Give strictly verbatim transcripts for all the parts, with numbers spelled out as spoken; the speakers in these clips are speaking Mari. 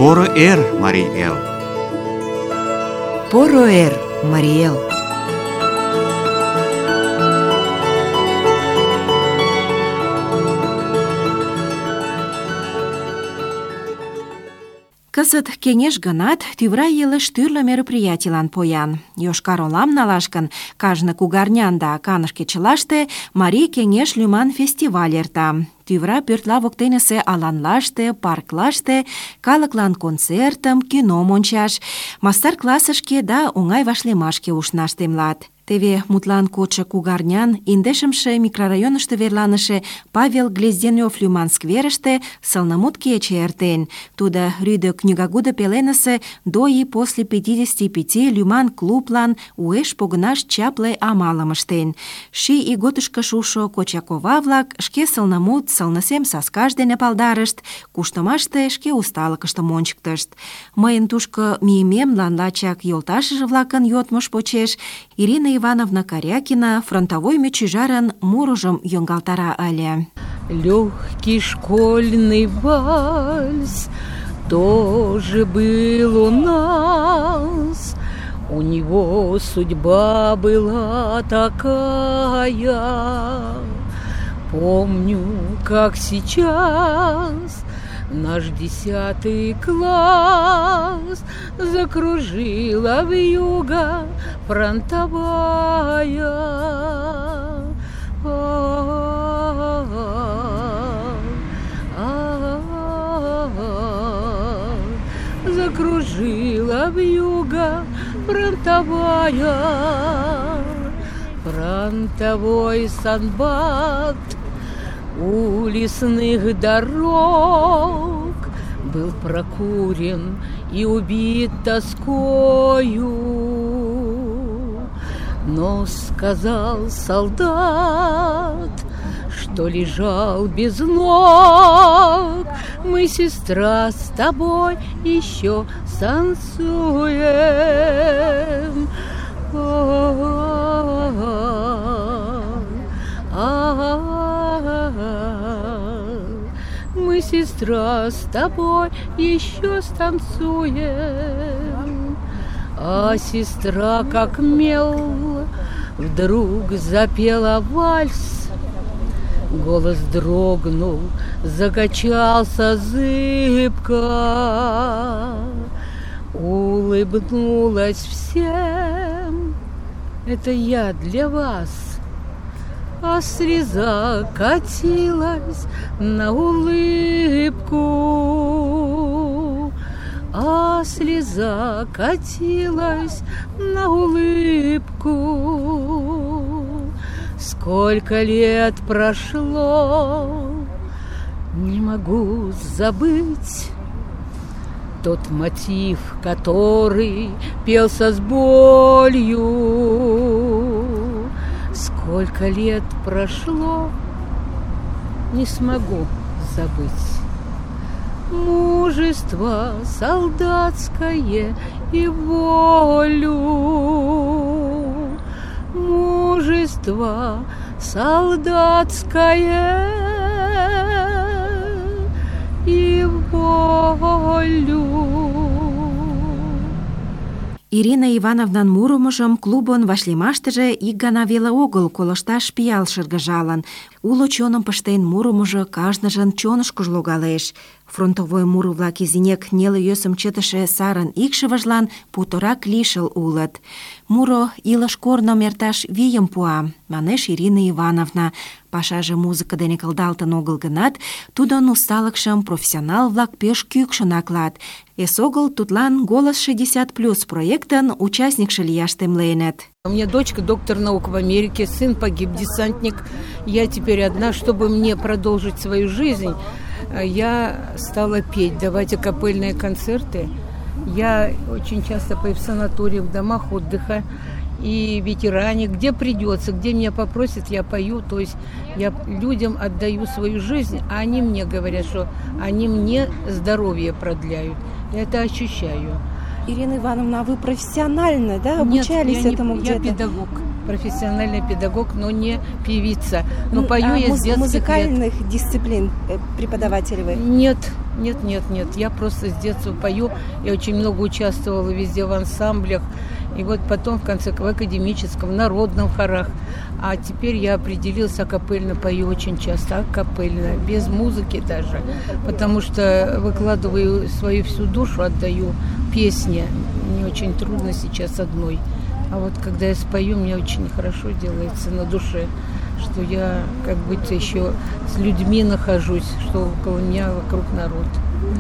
Поро эр, Марий эл! Поро эр, Марий эл! Кызыт кеҥеж гынат, тӱвра илыш тӱрлӧ мероприятийлан поян. Йошкар-Олам налаш гын, кажне кугарнян да каныш кечылаште Марий кеҥеж лӱман фестиваль эрта. Тӱвра пӧртла воктенысе аланлаште, парклаште калыклан концертым, кином ончаш, мастер-классышке да оҥай вашлиймашке ушнаш темлат. Теве мутлан кодшо кугарнян индешымше микрорайонышто верланыше Павел Глезденёв лӱман скверыште сылнымут кече эртен. Тудо рӱдӧ книгагудо пеленысе «До и после пятидесяти пяти» лӱман клублан уэш погынаш чапле амалым ыштен. Ший ийготышко шушо кочакова-влак шке сылнымут сылнысем саскаж дене палдарышт, куштымаште шке усталыкыштым ончыктышт. Мыйын тушко мийымемлан лачак йолташыже-влакын йодмыж почеш Ирина Ивановна Карякина фронтовой мечӱжарын мурыжым йоҥгалтара ыле. Легкий школьный вальс тоже был у нас. У него судьба была такая. Помню, как сейчас наш десятый класс закружила вьюга фронтовая. Закружила вьюга фронтовая. Фронтовой санбат у лесных дорог был прокурен и убит тоскою. Но сказал солдат, что лежал без ног: мы, сестра, с тобой еще станцуем. Мы, сестра, с тобой еще станцуем. А сестра, как мел, вдруг запела вальс. Голос дрогнул, закачался зыбко, улыбнулась всем: это я для вас. А слеза катилась на улыбку, а слеза катилась на улыбку. Сколько лет прошло, не могу забыть тот мотив, который пелся с болью. Сколько лет прошло, не смогу забыть. Мужество солдатское и волю. Мужество солдатское и волю. Ирина Ивановнан мурымыжым клубын вашлиймаштыже ик гана веле огыл колышташ пиал шыргыжалын. Уло чоным пыштен мурымыжо кажныжын чонышкыжо логалеш. Фронтовой муро-влак изинек неле йӧсым чытыше сарын икшывыжлан путырак лишыл улыт. Муро илыш корным эрташ вийым пуа, манеш Ирина Ивановна. Пашаже музыка дене кылдалтын огыл гынат, тудын усталыкшым профессионал-влак пеш кӱкшын аклат. Эсогыл тудлан «Голос шестьдесят плюс» проектын участникше лияш темленыт. У меня дочка доктор наук в Америке, сын погиб, десантник. Я теперь одна, чтобы мне продолжить свою жизнь. Я стала петь, давать акапельные концерты. Я очень часто пою в санаториях, в домах отдыха и ветеране, где придется, где меня попросят, я пою. То есть я людям отдаю свою жизнь, а они мне говорят, что они мне здоровье продляют. Я это ощущаю. Ирина Ивановна, а вы профессионально, да, обучались Нет, я этому не, где-то? Я педагог, профессиональный педагог, но не певица. Но Ну, пою а я муз- с детских музыкальных лет. дисциплин э, преподаватель вы? Нет, Нет, нет, нет. Я просто с детства пою. Я очень много участвовала везде в ансамблях. И вот потом в конце в академическом, в народном хорах. А теперь я определилась, акапельно пою очень часто. Акапельно, без музыки даже. Потому что выкладываю свою всю душу, отдаю песне. Мне очень трудно сейчас одной. А вот когда я спою, мне очень хорошо делается на душе, что я как будто еще с людьми нахожусь, что около меня вокруг народ.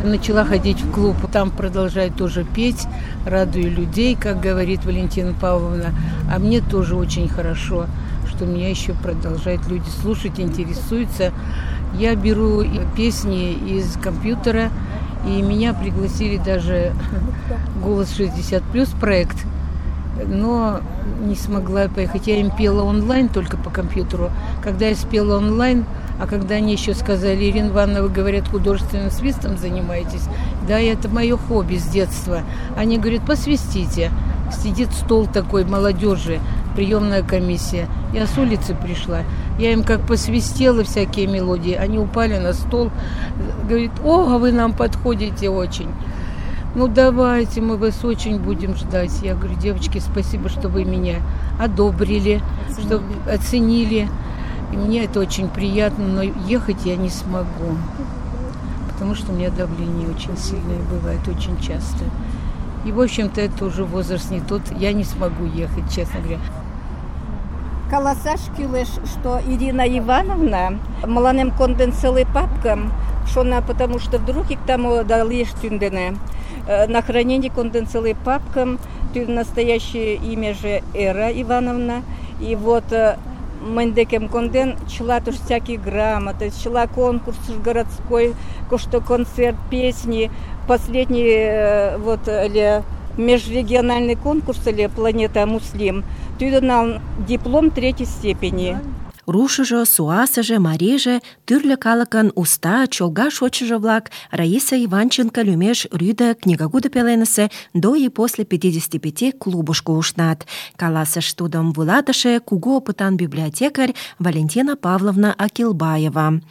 Начала ходить в клуб, там продолжаю тоже петь, радую людей, как говорит Валентина Павловна. А мне тоже очень хорошо, что меня еще продолжают люди слушать, интересуются. Я беру песни из компьютера, и меня пригласили даже «Голос шестьдесят плюс» проект. Но не смогла поехать. Я им пела онлайн только по компьютеру. Когда я спела онлайн, а когда они еще сказали: Ирина Ивановна, вы, говорят, художественным свистом занимаетесь. Да, это мое хобби с детства. Они говорят: посвистите. Сидит стол такой молодежи, приемная комиссия. Я с улицы пришла. Я им как посвистела всякие мелодии. Они упали на стол. Говорит: о, вы нам подходите очень. Ну, давайте, мы вас очень будем ждать. Я говорю: девочки, спасибо, что вы меня одобрили, оценили. Что оценили. И мне это очень приятно, но ехать я не смогу, потому что у меня давление очень сильное бывает, очень часто. И, в общем-то, это уже возраст не тот, я не смогу ехать, честно говоря. Каласаш кюлеш, что Ирина Ивановна мланем конденсалы папкам, что она, потому что вдруг их там дали штундене. На хранение конденсалы папкам, настоящее имя же Эра Ивановна, и вот Мендекем конден чла туж всякие грамоты, чла конкурс городской, что концерт, песни, последний вот ли межрегиональный конкурс или Планета Муслим, туда нам диплом третьей степени. Рушыжо, суасыже, марийже, тӱрлӧ калыкын уста, чолга шочшыжо-влак Раиса Иванченко лӱмеш рӱдӧ книгагудо пеленысе «До и после пятидесяти пяти» клубышко ушнат. Каласыш тудым вуйлатыше кугу опытан библиотекарь Валентина Павловна Акилбаева.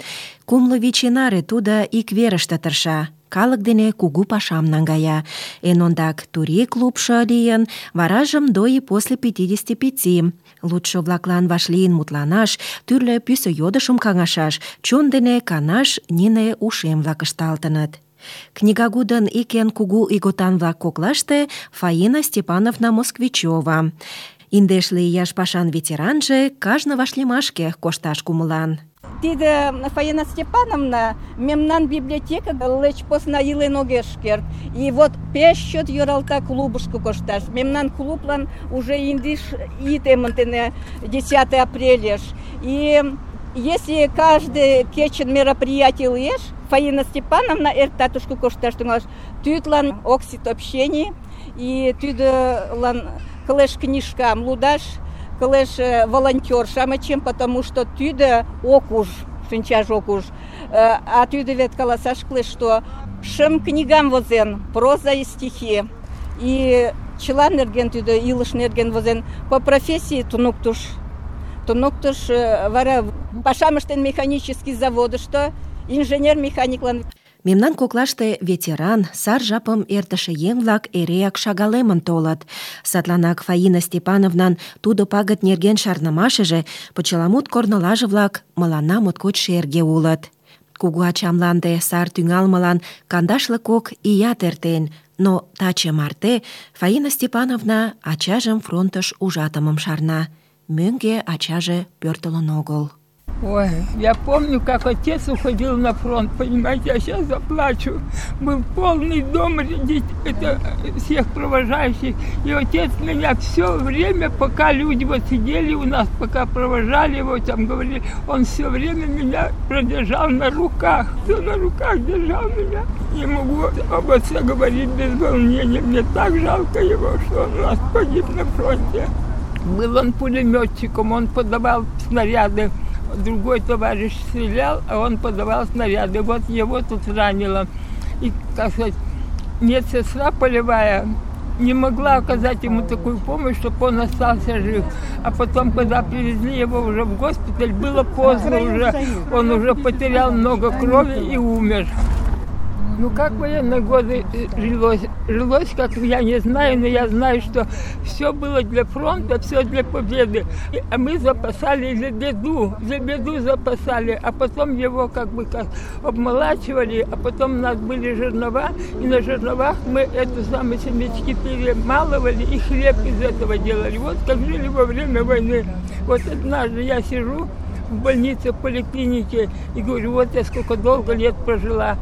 Кумло вич ий наре тудо ик верыште тырша. Калык дене кугу пашам наҥгая. Эн ондак турий клубшо лийын, варажым «До и после пятидесяти пяти». Лудшо-влаклан вашлийын мутланаш, тӱрлӧ пӱсӧ йодышым каҥашаш, чон дене канаш нине ушем-влак ышталтыныт. Книгагудын ик эн кугу ийготан-влак коклаште Фаина Степановна Москвичева. Индешле ияш пашан ветеранже кажне вашлиймашке кошташ кумылан. Тиде Фаина Степановна мемнан библиотека леч посна илен огеш керт. И вот пеш чот йӧралта клубышко кошташ. Мемнан клублан уже индиш итементене десятого апреля. И если каждый кечен мероприятие леш, Фаина Степановна эртатушку кошташ тӱҥалеш. Тӱдлан оксит общений и тӱдлан кылеш книжкам лудаш, кылеш волонтер-шамычем, потому что тӱдӧ ок уж, шинчаж ок уж. А тӱдӧ вет каласаш кӱлеш, что шым книгам возен, проза и стихи. И чыла нерген тӱдӧ илыш нерген возен. По профессии туныктыш. Туныктыш, вара пашам ыштен механический заводышто, инженер-механиклан. Мемнан коклаште ветеран, сар жапым эртыше еҥ-влак эреак шагалемын толыт. Садланак Фаина Степановнан тудо пагыт нерген шарнымашыже, почеламут корнылаже-влак мыланна моткоч шерге улыт. Кугу ачамланде сар тӱҥалмылан кандашле кок ият эртен, но таче марте Фаина Степановна ачажым фронтыш ужатымым шарна. Мӧҥгӧ ачаже пӧртылын огыл. Ой, я помню, как отец уходил на фронт, понимаете, я сейчас заплачу. Был полный дом это, всех провожающих, и отец меня все время, пока люди вот сидели у нас, пока провожали его, там говорили, он все время меня продержал на руках, все на руках держал меня. Не могу об отце говорить без волнения, мне так жалко его, что он у нас погиб на фронте. Был он пулеметчиком, он подавал снаряды. Другой товарищ стрелял, а он подавал снаряды. Вот его тут ранило. И, как сказать, медсестра полевая не могла оказать ему такую помощь, чтобы он остался жив. А потом, когда привезли его уже в госпиталь, было поздно уже. Он уже потерял много крови и умер. Ну, как в военные годы жилось? Жилось, как я не знаю, но я знаю, что все было для фронта, все для победы. А мы запасали за беду, за беду запасали, а потом его как бы как обмолачивали, а потом у нас были жернова, и на жерновах мы эту самую семечки перемалывали и хлеб из этого делали. Вот как жили во время войны. Вот однажды я сижу в больнице, в поликлинике, и говорю, вот я сколько долго лет прожила.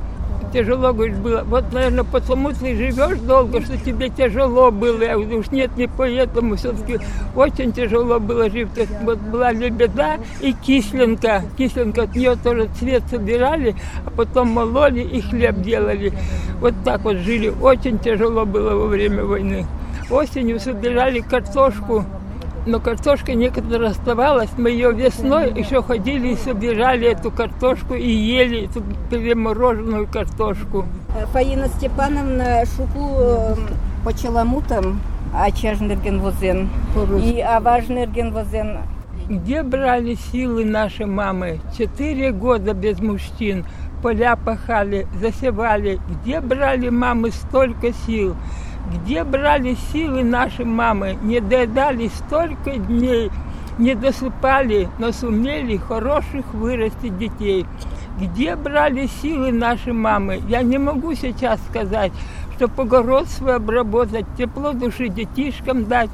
Тяжело, говорит, было. Вот, наверное, потому ты живешь долго, что тебе тяжело было. Я говорю, уж нет, не поэтому. Все-таки очень тяжело было жить. Вот была лебеда и кисленка. Кисленка, от нее тоже цвет собирали, а потом мололи и хлеб делали. Вот так вот жили. Очень тяжело было во время войны. Осенью собирали картошку. Но картошка некоторая оставалась, мы ее весной еще ходили и собирали эту картошку и ели эту перемороженную картошку. Фаина Степановна шуку почеламутам ачажнерген возен и аважнерген возен. Где брали силы наши мамы? Четыре года без мужчин. Поля пахали, засевали. Где брали мамы столько сил? Где брали силы наши мамы? Не доедали столько дней, не досыпали, но сумели хороших вырастить детей. Где брали силы наши мамы? Я не могу сейчас сказать, чтобы огород свой обработать, тепло души детишкам дать.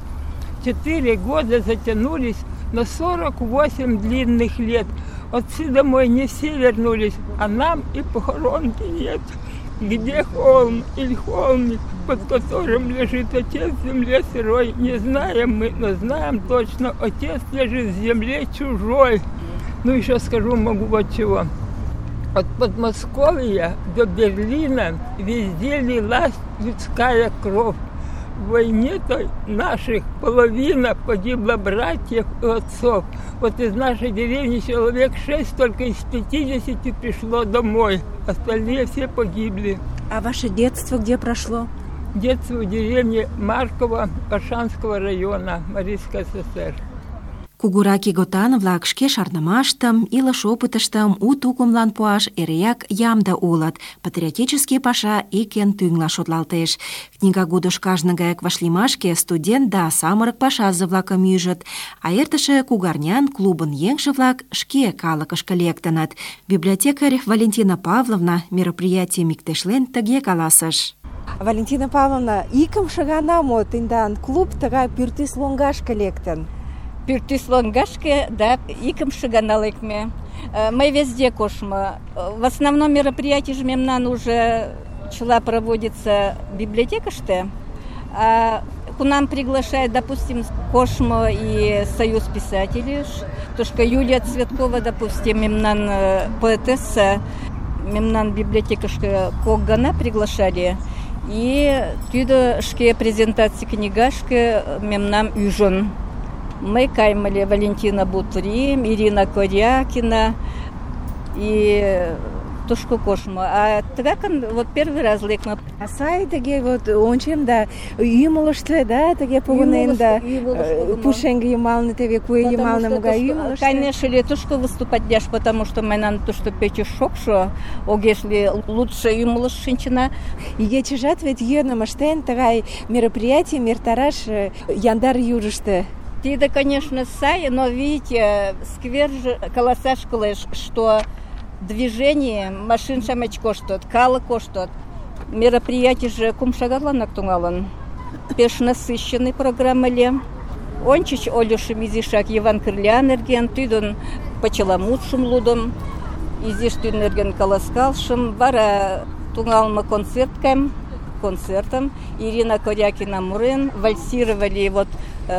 Четыре года затянулись на сорок восемь длинных лет. Отцы домой не все вернулись, а нам и похоронки нет. Где холм или холмик, под которым лежит отец в земле сырой, не знаем мы, но знаем точно, отец лежит в земле чужой. Ну, еще скажу, могу вот чего. От Подмосковья до Берлина везде лилась людская кровь. В войне-то наших половина погибла братьев и отцов. Вот из нашей деревни человек шесть только из пятидесяти пришло домой. Остальные все погибли. А ваше детство где прошло? Детство в деревне Марково, Оршанского района, Марийской ССР. Кугураки готан-влак шке шарнымаштым, илыш опытыштым у тукымлан пуаш эреак ямде улыт. Патриотический паша ик эн тӱҥла шотлалтеш. Книгагудыш кажне гаяк вашлиймашке студент да самырык пашазе-влакым ӱжыт, а эртыше кугарнян клубын еҥже-влак шке калыкышке лектыныт. Библиотекарь Валентина Павловна мероприятийым иктешлен тыге каласыш. Валентина Павловна, икымше гана мо тендан клуб тыгай пӱртӱс лоҥгашке лектын? Пӱртӱс лоҥгашке, да, икымше гана лекме. Мы везде кошмо. В основном мероприятие мемнан уже чыла проводится в библиотекаште. А кунам приглашает, допустим, кошмо и Союз писателей. Тошка Юлия Цветкова, допустим, мемнан поэтесса, мемнан библиотекашке кок гана приглашали. И тюдо шке презентации книгашке мемнам ӱжын. Мы каймали Валентина Бутрим, Ирина Корякина и Тушко Кошмо. А тыгакын вот первый раз лекна. А сай тыге вот ончем да ӱмылыштӧ, да, тыге погынен да пушеҥге йымалне теве куэ йымалне могай ӱмылыштӧ. Конечно ли Тушко выступать дяш, потому что мыйнан тушто пече шокшо, огеш ли лучше ӱмылыш шинчына. Игечыжат вет йӧным ыштен тыгай мероприятийым эртараш яндар южышто. Тиде, конечно, сай, но видите, сквер же каласаш кылеш, что движение машин шамеч коштот, калы коштот. Мероприятие же кумшагатланак туңалын. Пеш насыщенный программа ле. Ончич Олюшем изишак Иван Кырлян эрген, тӱдын почеламутшым лудым, изиш тӱн эрген каласкалшым, вара туңалме концерткам, концертом. Ирина Корякина мурен, вальсировали вот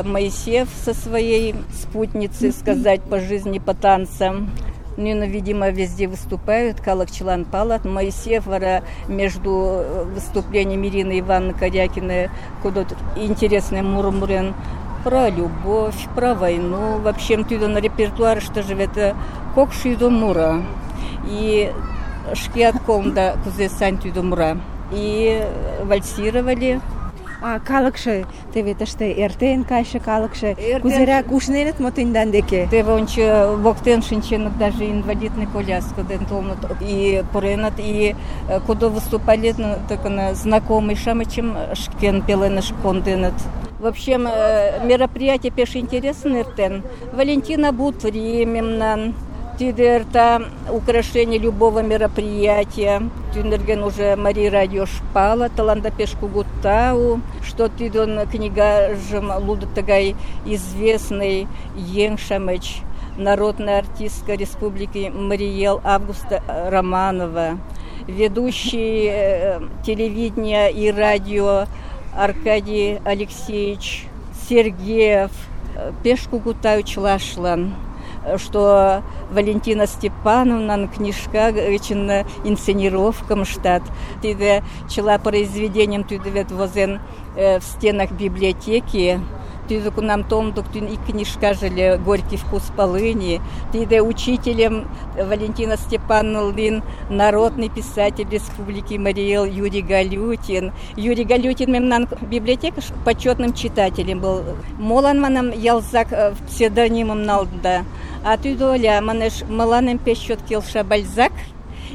Моисеев со своей спутницей, сказать, по жизни, по танцам. Ну, видимо, везде выступают. Калакчылан палат. Моисеев вара между выступлением Ирины Ивановны Корякиной куда-то интересный мурмурен про любовь, про войну. Вообще, туда на репертуаре, что живет кокшиду мура. И шкиат комда кузе сань туда мура. И вальсировали. А калыкше теве тыште эртен кайше калыкше Эртен- кузерак ушненыт мо тендан деке? Теве ончо воктен шинченыт, даже инвалидный коляска ден толнут и пуреныт, и э, кудо выступали, ну, так, на знакомый шамычым шкен пеленыш конденыт. В общем, э, мероприятие пеш интересно эртен. Валентина Бутри мемнан, тиде эрта украшение любого мероприятия. Тюнерген уже Мария Радио шпала, таланда пеш кугу тау, что тидон книгажым лудо тагай известный ең шамыч, народная артистка Республики Мариэл Августа Романова, ведущий э, телевидения и радио Аркадий Алексеевич Сергеев, э, пеш кугу тау чылашлан, что Валентина Степановна книжка için инсценировкам штат. Тиде чела произведением тиде вет возен э, в стенах библиотеки. Тиде к нам томдук и книжка жили «Горький вкус полыни». Тиде учителем Валентина Степановна народный писатель Республики Мариэл Юрий Галютин. Юрий Галютин мемнан библиотека почетным читателем был. Молан манам ялзак псевдонимом налда. А тиде оля манеш маланем пещет келша Бальзак.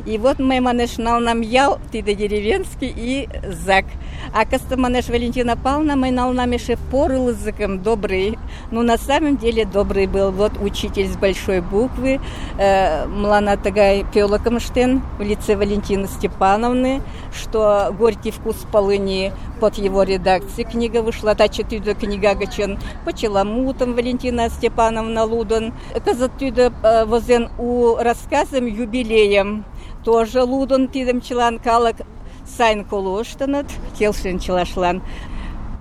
И вот мы манеш нал нам ял, тиде деревенский и зак. А каста манеш Валентина Павловна, мы нал нам еще порыл языком добрый. Ну, на самом деле добрый был. Вот учитель с большой буквы, э, млана тагай пелокомштен в лице Валентины Степановны, что «Горький вкус полыни» под его редакцией книга вышла. Та четыре книга гачен по челомутам Валентина Степановна Лудон. Казат тюда э, возен у рассказом юбилеем. Тоже лудон тидем челан калак сайн колоштанат, келшин челашлан.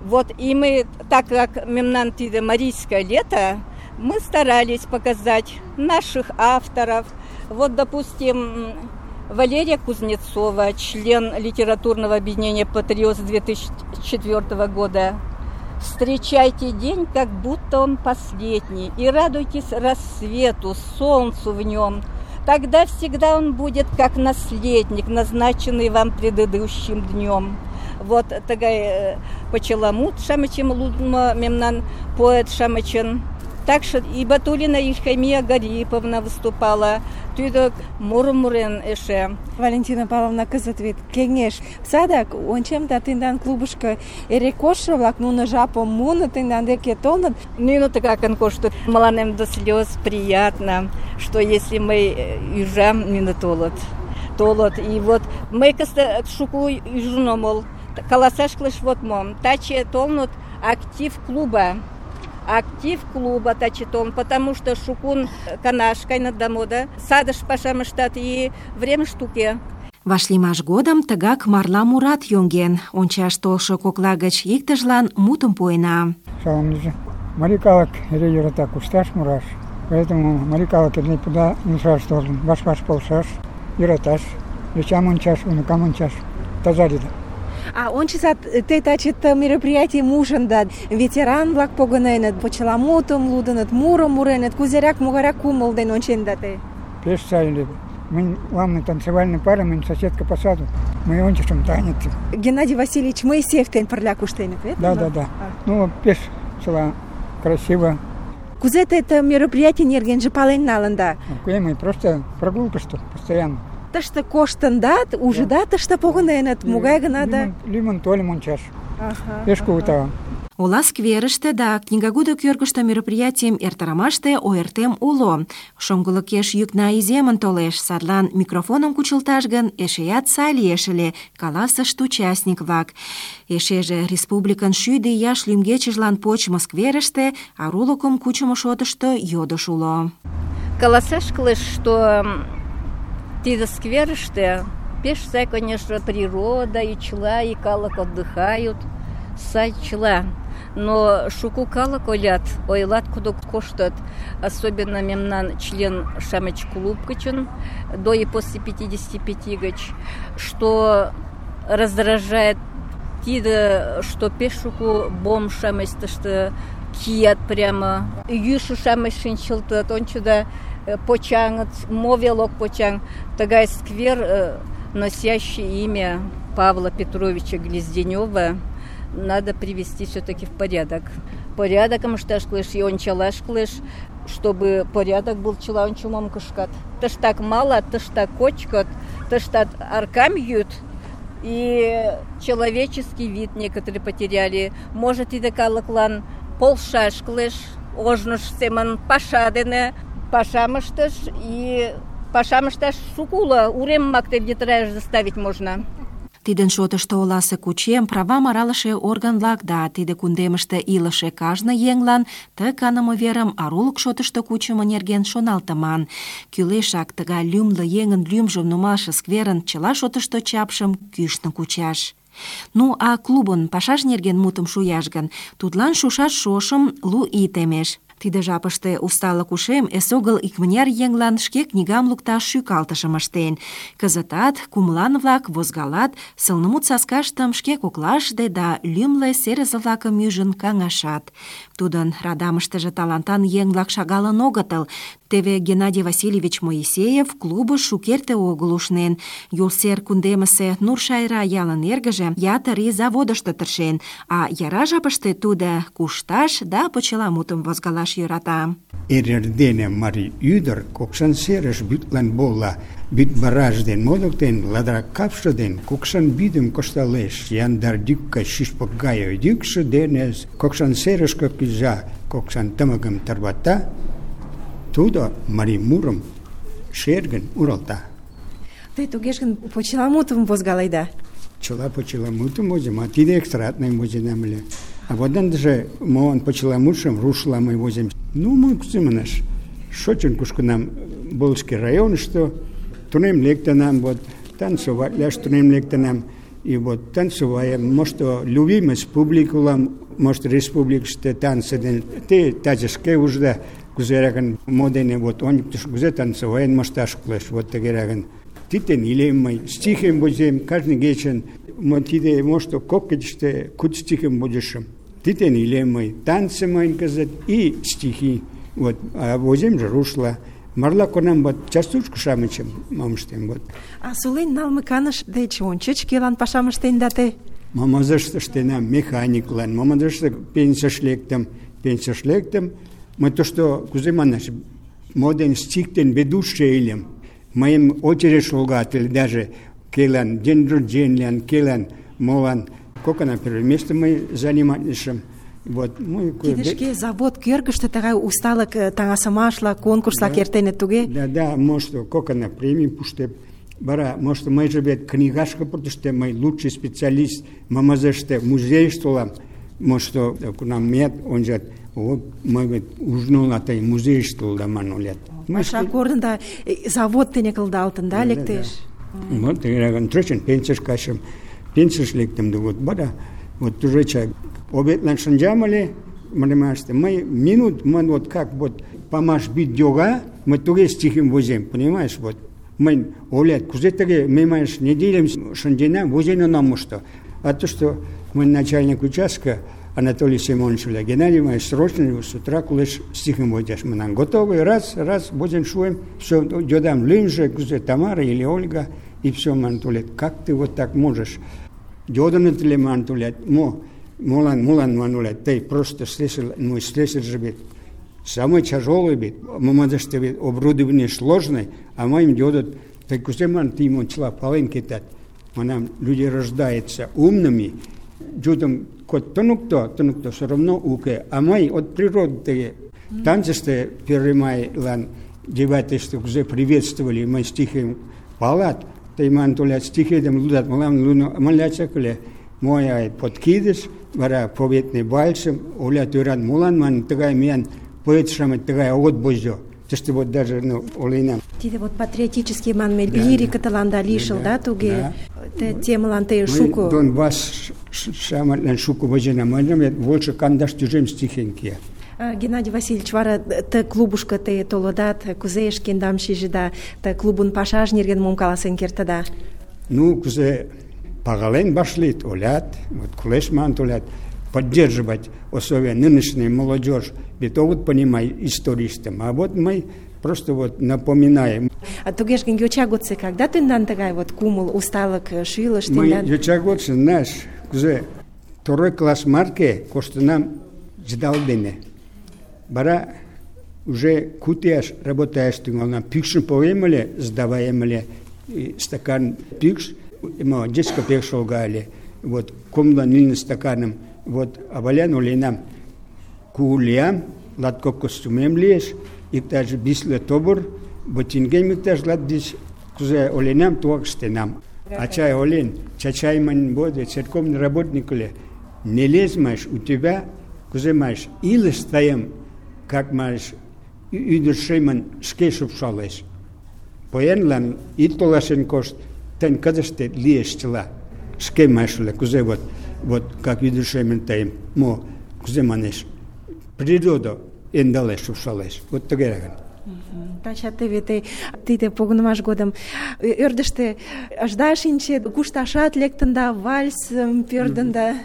Вот и мы, так как мемнан тиде марийское лето, мы старались показать наших авторов. Вот, допустим, Валерия Кузнецова, член литературного объединения «Патриот» с две тысячи четвёртого года. Встречайте день, как будто он последний, и радуйтесь рассвету, солнцу в нем. Тогда всегда он будет как наследник, назначенный вам предыдущим днем. Вот такая почеламут шамычем лудма мемнан поэт шамычен. Так что и Батулина Ильхамия Гариповна выступала, тюдок Мурмурен эше. Валентина Павловна кызыт вет кеҥеж садак ончем да тендан клубышко эре коштшо-влак нуно жапым муыныт, тендан деке толыныт. Ну, такакан коштует. Маланем до слез приятно, что если мы южам не толот, толот. И вот мы каста шуку южномол, каласаш клыш вот мом, таче толнут актив клуба. Актив клуба тачетон, потому что шукун канашкай над дамода, садыш пашам штат и время штуке. Вашлиймаш годым тыгак марла мурат йоҥген. Ончаш толшо кокла гыч иктыжлан мутым пуэна. Салам лийже. Марий калык эре йӧрата кушташ, мураш. Поэтому марий калык эре пуда мушаш должен. Ваш-ваш полшаш, йӧраташ, йочам ончаш, унукам ончаш. Таза лийде. А ончызат те таче ты мероприятийым ужында, ветеран-влак погыненыт, почеламутым лудыныт, мурым муреныт, кузерак, могайрак кумыл ден онченда те? Пеш сай лийде. Мы главный танцевальный пара, мы соседка по саду. Мы ончышым танец. Геннадий Васильевич Моисеев тен пырля куштеныт, вет? Да, да, да. Ну, пеш села красиво. Кузе те это мероприятие нергенже пален налында? Мы просто прогулка, что постоянно. Тыште коштындат, ужыда тыште погыненыт, могай гына да? Лимон толем ончаш. Пеш кугу тау. Ола скверыште да книгагудо кӧргыштӧ мероприятийым эртарымаште ойыртем уло. Шоҥгылыкеш йӱкна иземын толеш, садлан микрофоным кучылташ гын, эшеат сай лиеш ыле, каласышт участник-влак. Эшеже республикын шӱдӧ ияш лӱмгечыжлан почмо скверыште арулыкым кучымо шотышто йодыш уло. Каласаш кылеш, что тиде скверыште пеш сай, конечно, природа, и чла, и калык отдыхают, сай чла. Но шуку калык олят, ойлат кудо коштат, особенно мемнан член шамыч клуб гычын, до и после пятидесяти пяти гыч, что раздражает тиде, что пеш шуку бом шамыч тышты кият прямо, юшу шамыч шинчылтат, ончуда почаҥыт, мовелок почаҥ, тагай сквер, носящий имя Павла Петровича Глизденева, надо привести все-таки в порядок. Порядоком ышташ кылеш и ончалаш кылеш, чтобы порядок был чыла ончымым кышкат. Тыштак малат, тыштак кочкат, тыштат аркам йӱыт. И человеческий вид некоторые потеряли. Может, тиде калыклан полшаш кылеш, ожныж семын паша дене пашам ыштыш, и пашам ышташ шуко уло, урем марте йытыраш заставить можно. Тидын шотышто оласе кучем правам аралыше орган-влак да тиде кундемыште илыше кажне еҥлан ты каныме верым арулык шотышто кучымо нерген шоналтыман. Кӱлешак тыгай лӱмлӧ еҥын лӱмжым нумалше скверын чыла шотышто чапшым кӱшнӧ кучаш. Ну, а клубын пашаж нерген мутым шуяш гын, тудлан шушаш шошым лу ий темеш. Тиде жапыште усталык ушем эсогыл икмыняр еҥлан шке книгам лукташ шӱкалтышым ыштен. Кызытат кумылан-влак возгалат, сылнымут саскаштым шке коклаште да лӱмлӧ серызе-влакым ӱжын каҥашат. Тудын радамыштыже талантан еҥ-влак шагалын огытыл. Теве Геннадий Васильевич Моисеев клубыш шукерте огыл ушнен. Юлсер кундемысе Нуршайра ялын эргыже ятыр ий заводышто тыршен, а яра жапыште тудо кушташ да почеламутым возгалаш йӧрата. Эрдене марий ӱдыр Кокшан серыш вӱдлан вола, вӱд бараж ден модыктен, ладра капше ден Кокшан вӱдым кошталеш, яндар йӱкка шӱшпык гае йӱкшӧ дене Кокшан серышке кӱза, Кокшан тымыкым тарвата, тудо марий мурым шергын уралта. Те тугеш гын почеламутым возгаледа? Чыла почеламутым возем, а тиде экстратный возенам ыле. А вот ындыже молан почеламутшым рушла мый возем. Ну, мы кузымынаш. Шочын кушкынам Волжский районышто, тунем лектынам, вот, танцеватлаш тунем лектынам. И вот танцеваем, может, любимость публикулам, может, республикаште танцы ден, те тазышке ужда, кузераган модене, вот, он кузе танцеваен мошташ кылеш, вот тегераган. Титен илем мый, стихем возем, каждый вечер, вот тиде, может, коккечте, куд стихем будешем. Титен илем мый, танцы мойн казат, и стихи, вот, а возем же рушла. Марла конам вот частушку шамычым мамыштем, вот. А солен налме каныш деч ончыч кӧлан пашам ыштенда те? Мамазыште ыштенам механиклан, мамазыште пенсияш лектым, пенсияш лектым. Мый тошто, кузе манаш, моден стихтен ведущий илем. Моим очередь шолгатель даже келан, день рождения, келан, молан. Кока на первое место мы занимаемся. Вот, мы Кидешке завод кӧргыштӧ тыгай усталык таҥасымашла, конкурслак эртеныт туге? Да, да, может, кока на премии пуштеп. Бара, может, мый же вет книгашка пуртыште, мый лучший специалист, мамазыште музейыште улам. Может, кунам мет, он же, вот, мый вет ужнул атай музейыште улдаман улет. Паша корнында завод тене кылдалтын, да, лектеш? Вот, тегераган тречен пенсияш кашым, пенсияш лектым, да вот, бара, вот уже чай. Обетлан шанджамали, понимаете, мы минут, мы вот как вот помаш бить дёга, мы туге стихим возим, понимаешь, вот. Мы, олет, кузе таге, мы, маешь, неделям шанджина возим нам что. А то, что мы начальник участка, Анатолий Семенович, Геннадий, мы срочно с утра кулеш стихим возишь. Мы нам готовы, раз, раз, возим шуем, все, дёдам Линже, кузе Тамара или Ольга, и все, Анатолий, как ты вот так можешь? Дёдан это Анатолий, мо, Молан, молан, мануля, ты просто слышал, мой слышал же ведь. Самый тяжелый ведь, мамадыште ведь оборудование сложное, а моим дедут, так кузе ман ты ему чла полынки тат. Манам люди рождаются умными, дедом кот тонукто, тонукто все равно уке, а мой от природы танцесте первый май лан девятый штук кузе приветствовали, мы стихи палат, ты ман туля стихи дем лудат, малам луно, маляца куле. Моя подкидыш, вара поветный бальшем, оля тюран мулан, ман тыгай мен поэтшам тыгай от бозё. То что вот даже, ну, олейна. Тиде вот патриотический манме лирика таланда лишил, да, туге? Те темалан те шуку. Дон вас шаматлан шуку возена, мы больше кандаш тюжем стихенки. Геннадий Васильевич, вара те клубушка те толодат, кузе ешкендам шижида, те клубун пашаж нерген мом каласен кертада? Ну, кузе Пагален башлит, олят, вот кулешман олят, поддерживать условия нынешней молодежь, ведь вот понимай истористам, а вот мы просто вот напоминаем. А тугеш ген йочагоце, когда ты нан такая вот кумул усталок шилыш, мы йочагоце, знаешь, кузе второй класс марке коштынам ждал дене. Бара уже кутяш работаешь тыңална. Пикшин поем ыле, сдаваем ыле, стакан пикш, имо десять копеек шолгали. Вот комла нильным стаканом, вот авалян оленам куулиям, латкоп костюмем лиеш, иктаж бисле тобур, ботингем иктаж латдиш, кузе оленам туак стенам. А чай олен, чачайман боде, церковный работник ле, не лезь, маш, у тебя, кузе маш, или стоим, как маш, идушейман шкешуп шалеш. Поенлан и толашен кост, тен кадаште лиеш чела, шке машуле, кузе вот, вот как идушейман таим, мо, кузе манеш, природа эндалеш шалеш, вот тагераган. Тача теве те тиде погынымаш годым ӧрдыжтӧ ышда шинче, кушташат лектын да, вальс пӧрдын да.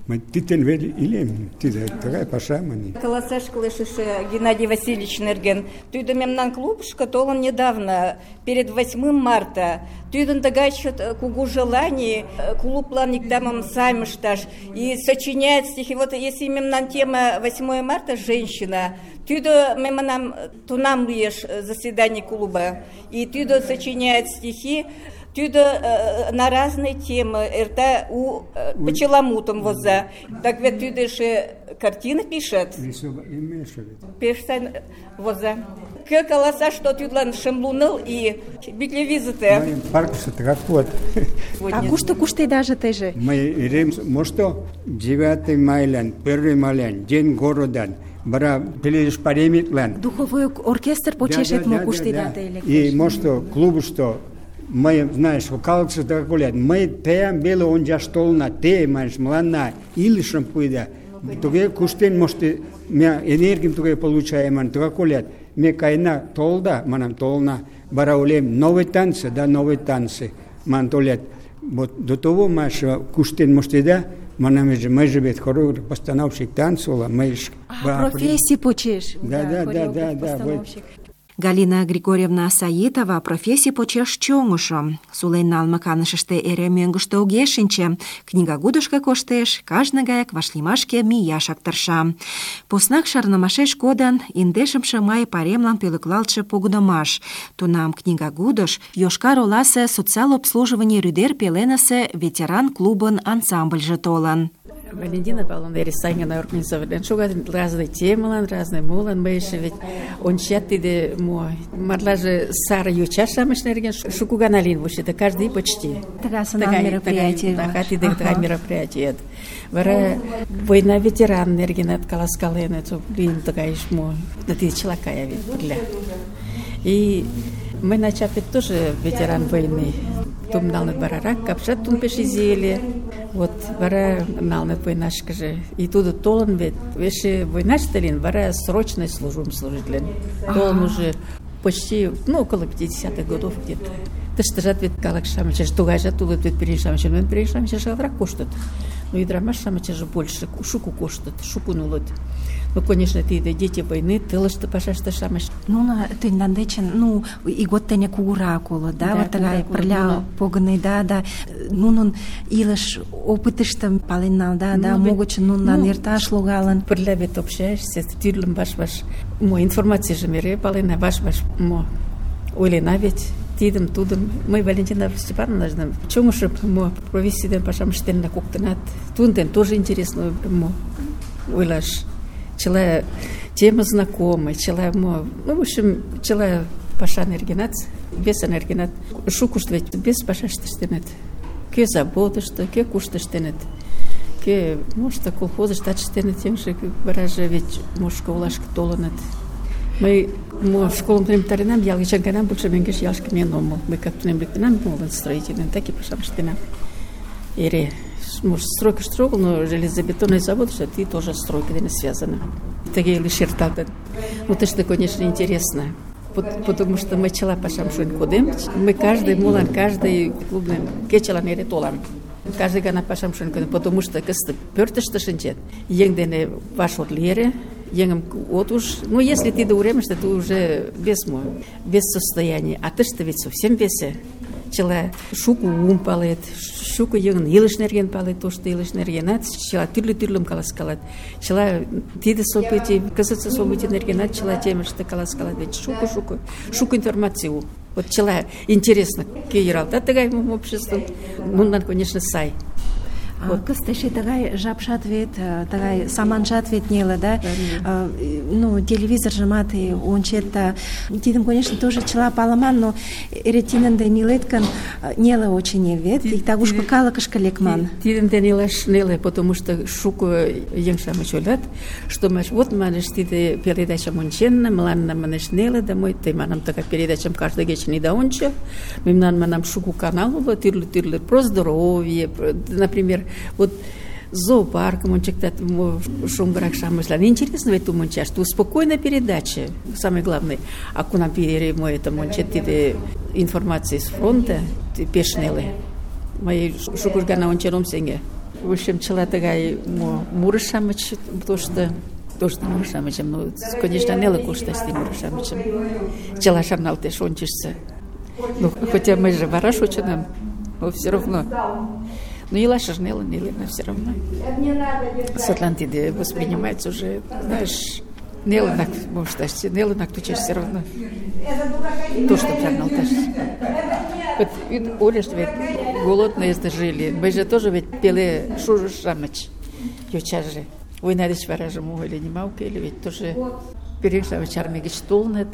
Мый титен вели илем, тиде тыгай паша мани. Каласаш кылешыше Геннадий Васильевич нерген. Тудо мемнан клубышко толын недавно, перед восьмым марта. Тудын тыгай чот кугу желаний клублан иктамым сайым ышташ и сочиняет стихи. Вот если мемнан тема восьмое марта женщина, тудо мемнам тунам лиеш заседание клуба, и тудо сочиняет стихи. Тюда э, на разные темы, это у э, почеламутом воза. Так ведь тюда же картины пишет. Пишет воза. Как колоса, что тюдлан шемлунул и битлевизиты. Парк что так вот. А кушто кушто даже ты же? Мы рем, может, девятый майлян, первый майлян, день города. Бара пелеш паремитлан. Духовой оркестр почешет мо кушто да ты. И может клубу что мы, знаешь, вокалцы такое, мы теям бело он já stolna te, mas млана или шампуйда. Туге куштен может меня энергию туге получаем, ман такое, мне кайна толда, манам толна, бараулем новые танцы, да новые танцы, ман толет. Вот до того маш куштен может да, манам же мы живет хорор постановщик танцула, мы профессии почеш. Да, да, да, да, да. Галина Григорьевна Саитова профессий почеш чоҥышо. Сулен налме канышыште эре мӧҥгыштӧ огеш шинче. Книгагудышко коштеш, кажне гаяк вашлиймашке мияшак тырша. Поснак шарнымашеш кодын индешымше май пайремлан пӧлеклалтше погынымаш. Тунам книгагудыш Йошкар-Оласе социал обслуживание рӱдер пеленысе ветеран клубын ансамбльже толын. Валентина Павловна Ересайгина организовали. Шугат разные темы, разные молан, мы еще ведь он чатиде мой. Марлаже Сара Ючаша мышнерген шукуганалин вообще, это каждый почти. Такая мероприятие. Такая такая мероприятие. Вара война ветеран нерген от Каласкалена, это блин такая шмо. Это ты человекая ведь. И мы начали тоже ветеран войны. Том налнет барарак, капшат тун пешизели. Вот вара налнет войнашка же. И туда толан ведь. Веше войнаш талин, вара срочной службом служителен. Толан уже почти, ну, около пятидесятых годов где-то. Ты что же ответ калакшамыча, что гажа туда ответ перешамыча, но перешамыча шалдрак коштат. Ну и драмашамыча же больше, шуку коштат, шуку нулот. Ну, конечно, ты да дети войны, ты лишь-то пошашта шамаш. Ну, на ты нандечен, ну, и год теня куракула, да, вот такая проля поганы, да, да. Ну, ну, и лишь опытыш там паленал, да, да, могут, ну, на нерташ лугалан. Проля ведь общаешься, с тюрлем ваш-ваш, мо, информация же мере палена, ваш-ваш, мо, олена ведь, тидом, тудом. Мы, Валентина Степановна, знаем, чему же, мо, провести ден пашам штен на куктенат, тунден тоже интересно, мо, ойлаш. Человек тема знакомая, человек, ну, в общем, человек паша энергенат, без энергенат, шукушт ведь без паша штенет, ке забота что, ке кушта штенет, ке, может, колхоза штат штенет, тем же бараже ведь может школашка толанет. Мы, мы в школу примтаринам, я лишь нам больше меньше ялшки меному, мы как-то не нам молодым строителям, так и паша штенам. Ире. Может, стройка строгал, но железобетонный завод, что ты тоже стройка не связана. Такие лишь черта. Ну, это что, конечно, интересно. Потому что мы чела пашам шуин ходим, мы каждый мулан, каждый клубный кечела мере толам. Каждый гана пашам шуин ходим, потому что кысты пёртыш тышинчет. Еңдене ваш отлере, еңем вот уж, ну, если ты доуремешь, то ты уже без мой, без состояния. А ты что ведь совсем весе. чыла шуко ум палет, шуко еҥын илыш нерген палет, тошто илыш нергенат чыла тӱрлӧ-тӱрлым каласкалат. Чыла тиде событий, кызытсе событий нергенат чыла темыште каласкалат. Ведь шуко-шуко, шуко информации уло. Вот чыла интересно, кӧ йӧралта тыгайым обществым, нунылан, конечно, сай. Вот. Кыстеше тыгай жапшат вет, тыгай саманжат вет неле, да? А, ну, телевизоржымат ончет, да. Тидым, конечно, тоже чыла паламан, но эре тидын ден илет гын, неле очень вет, иктаж-кушко калыкышке лекман. Тидын ден илаш неле, потому что шуко еҥ-шамыч ойлат, что манеш, вот манеш, тиде передачам онченна, мыланна манеш неле, да мый тый манам тыгай передачам каждый кечын ида ончо. Мемнан манам шуко канал уло, тӱрлӧ-тӱрлӧ, про здоровье, например, вот зоопаркым ончыктат шоҥгырак-шамычлан. Интересно ведь тум ончаш. Ту спокойная передача, самое главное. А кунам пире мой это ончет, тиде информация с фронта, пеш неле. Мый шукыш гана ончен ом сеҥе. В общем, чыла тыгай мурыш-шамыч, тошто тошто мурыш-шамычым, ну, конечно, неле кошташ тиде мурыш-шамычым. Чыла шарналтеш, ончышса. Ну, хотя мы же вараш очынам, но все равно. Но илашыж неле, неле, но все равно. Садлан тиде воспринимается уже, знаешь, неленак, может, неленак тучаш все равно. То, что шарналташ. Вот ойлаш ведь голодные жили. Мы же тоже ведь пеле шужу-шамыч. Йочаже. Война деч варажым ойле нимауке, или ведь тоже пирeng-шамыч армий гыч толыныт.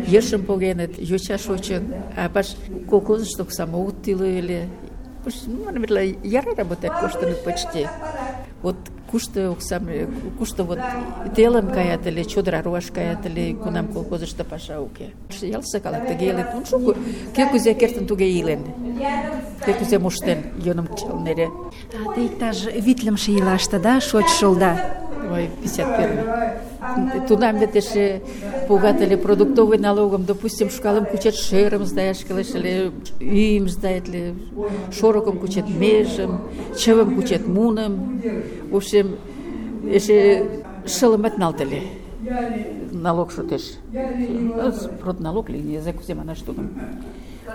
Ешым погеныт, йочаш очын. А баш колхозышток самоут тиле. Ну, наверное, яра работает, коштаны почти. Вот кушто оксам, кушто вот телым каят или чодыра руаш каят или кунам колхозышто паша уке. Ялса калак тыге илет, ну шуко, кӧ кузе кертын туге илен, кӧ кузе моштен йӧным кычалнере. А те иктаж витлымше ийлаште, да, шочшыл, да? Ой, пятьдесят первый. Тунам вет эше погат ыле продуктовый налогым, допустим, шкалым кучет шерым сдаяш кӱлеш ыле, ӱйым сдаять ыле, шорыкым кучет межым, чывым кучет муным. В общем, эше шылымат налт ыле. Налог шотеш. Продналог ли, не знаю, кузе манаш тудым.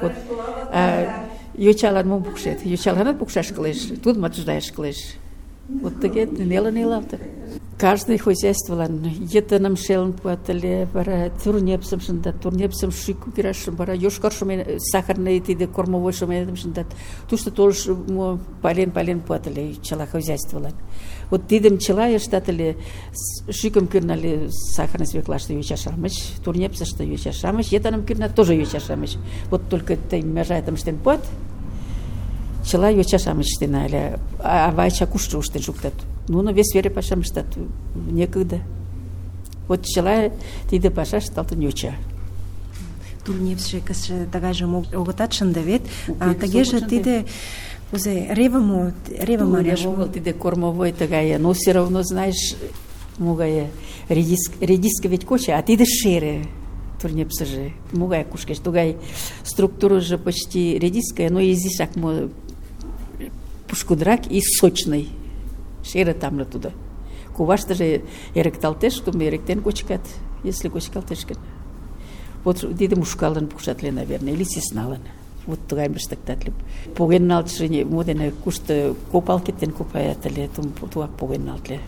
Вот. А йочалан мом пукшет? Йочаланат пукшаш кӱлеш, тудымат сдаяш кӱлеш. Вот тыге неле-нелалте. Каждый хозяйстволан йытыным шелын пуат ыле, вара турнепсым шындат, турнепсым шӱкӧ кӱрашым, вара йошкар шумен, сахарный тиде кормовой шуменым шындат. Тушто толыш пален-пален пуат ыле чыла хозяйстволан. Вот тидым чыла ыштат ыле, шӱкым кӱрна ыле сахарный свеклаште йоча-шамыч, турнепсыште йоча-шамыч, йытыным кӱрнат тоже йоча-шамыч. Вот только тый межайтым ыштен пуат, чыла йоча-шамыч ыштена ыле, ава-ача кушто ыштен шуктат. Нуно вес вере пашам ыштат, некогда. Вот чыла тиде паша ышталтын йоча. Турнепсше кызже тыгайжым огытат шынде вет, а тыгеже тиде кузе ревымо, реве манаш. Огыл тиде кормовой тыгае, но все равно, знаешь, могае редиск, редиска ведь коча, а тиде шере. Турнепсыже, могай кушкеш, тугай структурыже почти редиская, но изишак мо пушкудрак и сочный. Шере тамле туда. Куваштыже эрыкталтеш, туме эрыктен кочкат, если кочкалтеш гын. Вот тиде мушкалын пукшат ле, наверное, или сесналын. Вот тугайым ыштыктат ле. Поген налтше мо дене кушто копал кеттен копаят ыле, туак поген налт ле.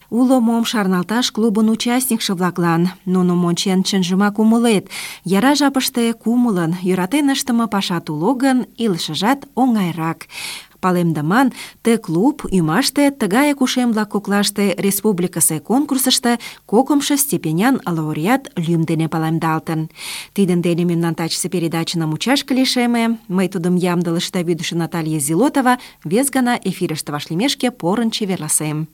Уло мом шарналташ клубын участникше-влаклан. Нуным ончен чынжымак умылет. Яра жапыште кумылын, йӧратен ыштыме пашат уло гын, илышыжат оҥайрак. Палемдыман, ты клуб ӱмаште тыгаяк ушем-влак коклаште республикысе конкурсышто кокымшо степенян лауреат лӱм дене палемдалтын. Тидын дене мемнан тачысе передачына мучашке лишеме. Мый тудым ямдылыште вӱдышӧ Наталья Зилотова вес гана эфирыште вашлиймешке порын чеверласем.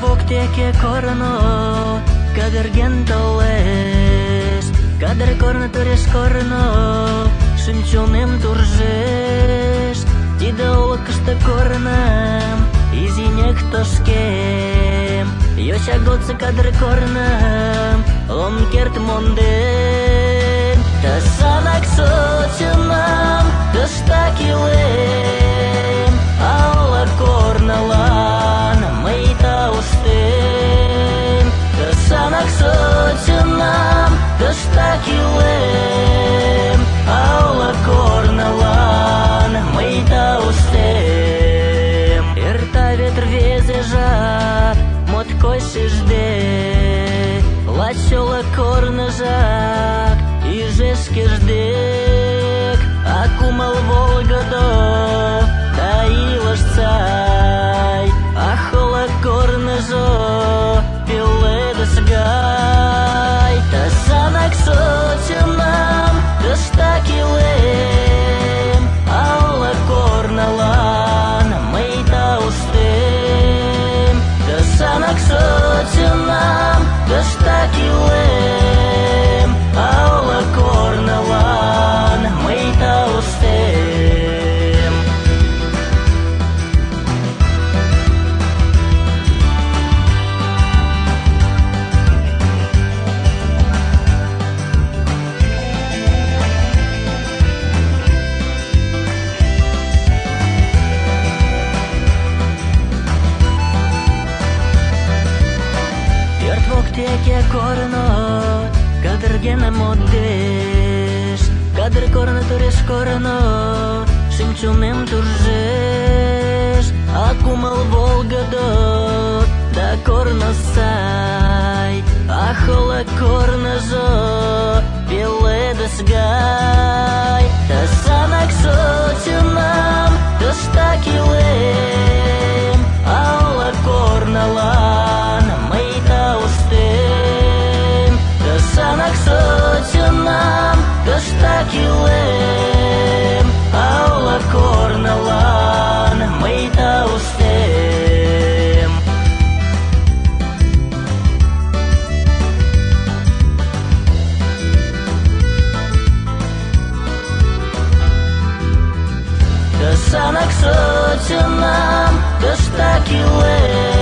Воктеке корно, кадырген толеш, кадыр корно туреш корно, шӱм-чонем туржеш, тиде олыкышто корным, изиня тошкем. Йоча годсы кадыр корным ом керт монден. Тысанак сотынам тыштак илем, алла корналан мый тауштем. Тысанак сотынам тыштак илем, алла корналан мый тауштем. Эрта вет рвезе жап моткоч шижде, лачола корныжак иже шкеждек, а кумыл волгыдо да илыш сай, а хола корныжо пеледыш гай. Тысанак сотынам тыштак илем, алла корналан мый тауштем. Тысанак сотынам тыштак илем, алла корналан мый тауштем. Пӧрт воктеке корно кадыргене модеш, кадыр корно тореш корно шӱм-чонем туржеш, а кумыл волгыдо да корно сай, а хола корныжо пеледыш гай. Тысанак сотынам тыштак илем, алла корналан мый тауштем. Тысанак сотынам тыштак илем, алла корналан мый тауштем. Тысанак сотынам тыштак илем,